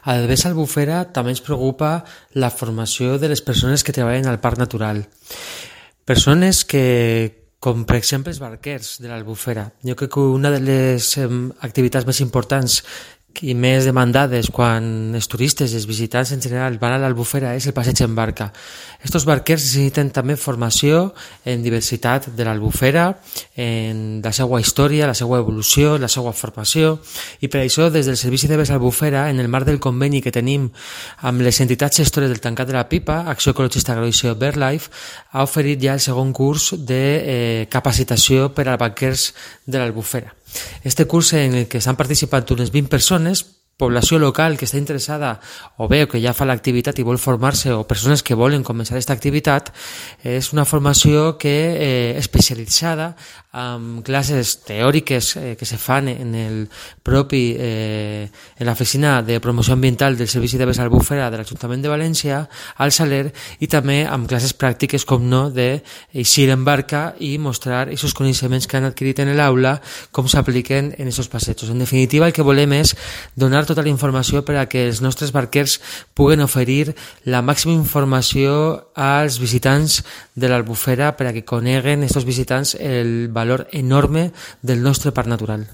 Al Bes Albufera també ens preocupa la formació de les persones que treballen al Parc Natural. Persones que, com per exemple els barquers de l'Albufera. Jo crec que una de les activitats més importants i més demandades quan els turistes i els visitants en general van a l'Albufera és el passeig en barca. Estos barquers necessiten també formació en diversitat de l'Albufera, en la seva història, la seva evolució, la seva formació, i per això des del Servici de Bes Albufera, en el marc del conveni que tenim amb les entitats gestores del Tancat de la Pipa, Acció Ecologista Agrovisió BirdLife, ha oferit ja el segon curs de capacitació per a barquers de l'Albufera. Este curs en el que s'han participat unes 20 persones, població local que està interessada o bé que ja fa l'activitat i vol formar-se o persones que volen començar aquesta activitat, és una formació que especialitzada amb classes teòriques que se fan en el propi en l'oficina de promoció ambiental del Servici de Bes Albufera de l'Ajuntament de València, al Saler, i també amb classes pràctiques, com no, d'eixir en barca i mostrar aquests coneixements que han adquirit en l'aula, com s'apliquen en aquests passejos. En definitiva, el que volem és donar tota la informació per a que els nostres barquers puguen oferir la màxima informació als visitants de l'Albufera per a que coneguen aquests visitants el valor enorme del nostre parc natural.